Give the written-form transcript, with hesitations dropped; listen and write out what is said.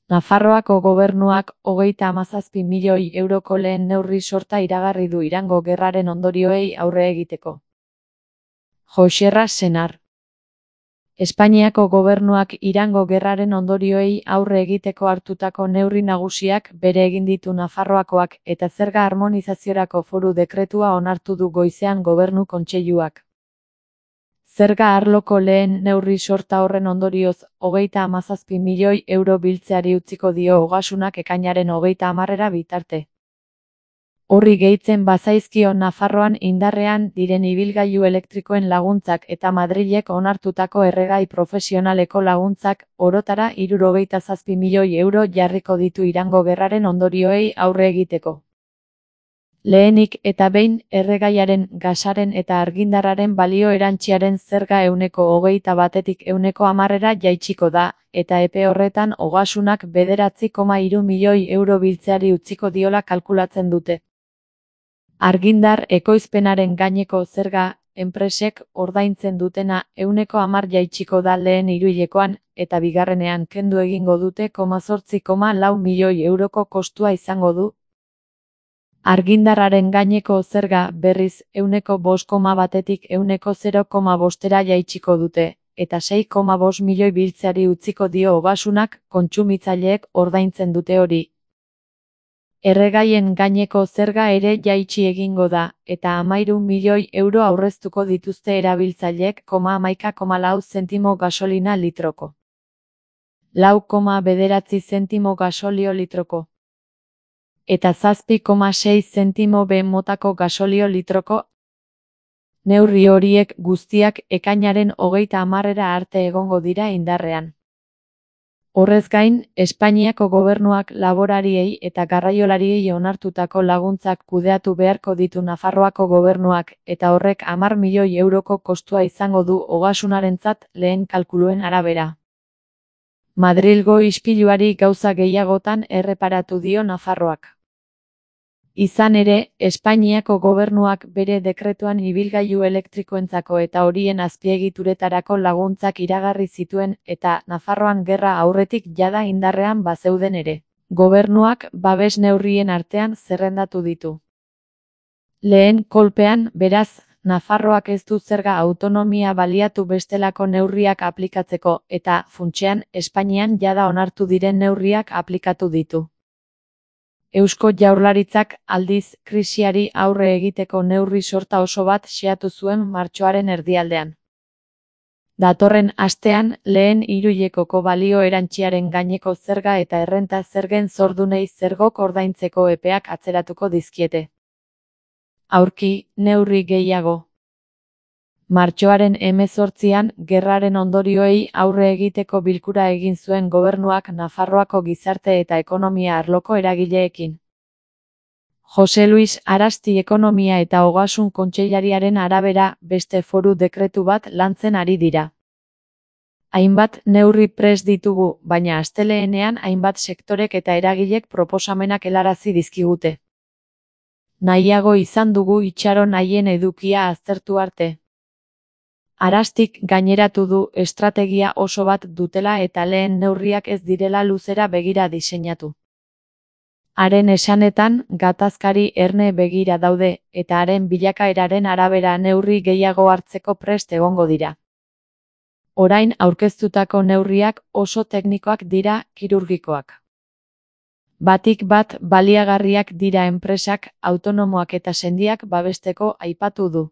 Nafarroako gobernuak 37 milioi euroko lehen neurri sorta iragarri du Irango gerraren ondorioei aurre egiteko. Joxerra Senar. Espainiako gobernuak Irango gerraren ondorioei aurre egiteko hartutako neurri nagusiak bere egin ditu Nafarroakoak eta zerga harmonizaziorako foru dekretua onartu du goizean Gobernu Kontseiluak. Zerga arloko lehen neurri sorta horren ondorioz 37 milioi euro biltzeari utziko dio Ogasunak ekainaren 30 bitarte. Horri gehitzen bazaizkio Nafarroan indarrean diren ibilgailu elektrikoen laguntzak eta Madrilek onartutako erregai profesionaleko laguntzak orotara 67 milioi euro jarriko ditu Irango gerraren ondorioei aurre egiteko. Lehenik eta behin erregaiaren, gasaren eta argindarraren balio erantsiaren zerga 21-tik 10%ra jaitsiko da, eta epe horretan Ogasunak 9,3 milioi euro biltzeari utziko diola kalkulatzen dute. Argindar ekoizpenaren gaineko zerga, enpresek ordaintzen dutena 10% jaitsiko da lehen hiruhilekoan, eta bigarrenean kendu egingo dute 8,4 milioi euroko kostua izango du. Argindarraren gaineko zerga berriz 5,1tik 0,5%ra jaitsiko dute, eta 6,5 milioi biltzeari utziko dio Ogasunak, kontsumitzaileek ordaintzen dute hori. Erregaien gaineko zerga ere jaitsi egingo da, eta 13 milioi euro aurreztuko dituzte erabiltzaileek 11,4 zentimo gasolina litroko. 4,9 zentimo gasolio litroko. Eta 7,6 zentimo B motako gasolio litroko. Neurri horiek guztiak ekainaren 30 arte egongo dira indarrean. Horrez gain, Espainiako gobernuak laborariei eta garraiolariei onartutako laguntzak kudeatu beharko ditu Nafarroako gobernuak, eta horrek 10 milioi euroko kostua izango du Ogasunarentzat lehen kalkuluen arabera. Madrilgo ispiluari gauza gehiagotan erreparatu dio Nafarroak. Izan ere, Espainiako gobernuak bere dekretuan ibilgailu elektrikoentzako eta horien azpiegituretarako laguntzak iragarri zituen eta Nafarroan gerra aurretik jada indarrean bazeuden ere. Gobernuak babes neurrien artean zerrendatu ditu. Lehen kolpean, beraz, Nafarroak ez du zerga autonomia baliatu bestelako neurriak aplikatzeko eta, funtsean, Espainian jada onartu diren neurriak aplikatu ditu. Eusko Jaurlaritzak, aldiz, krisiari aurre egiteko neurri sorta oso bat xeatu zuen martxoaren erdialdean. Datorren astean, lehen hiruhilekoko balio erantsiaren gaineko zerga eta errenta zergen zordunei zergok ordaintzeko epeak atzeratuko dizkiete. Aurki, neurri gehiago. Martxoaren 18an, gerraren ondorioei aurre egiteko bilkura egin zuen gobernuak Nafarroako gizarte eta ekonomia arloko eragileekin. Jose Luis Arasti ekonomia eta ogasun kontseilariaren arabera, beste foru dekretu bat lantzen ari dira. Hainbat neurri prest ditugu, baina asteleenean hainbat sektorek eta eragilek proposamenak helarazi dizkigute. Nahiago izan dugu itxaron haien edukia aztertu arte. Arastik gaineratu du estrategia oso bat dutela eta lehen neurriak ez direla luzera begira diseinatu. Haren esanetan, gatazkari erne begira daude, eta haren bilakaeraren arabera neurri gehiago hartzeko prest egongo dira. Orain aurkeztutako neurriak oso teknikoak dira, kirurgikoak. Batik bat baliagarriak dira enpresak, autonomoak eta sendiak babesteko aipatu du.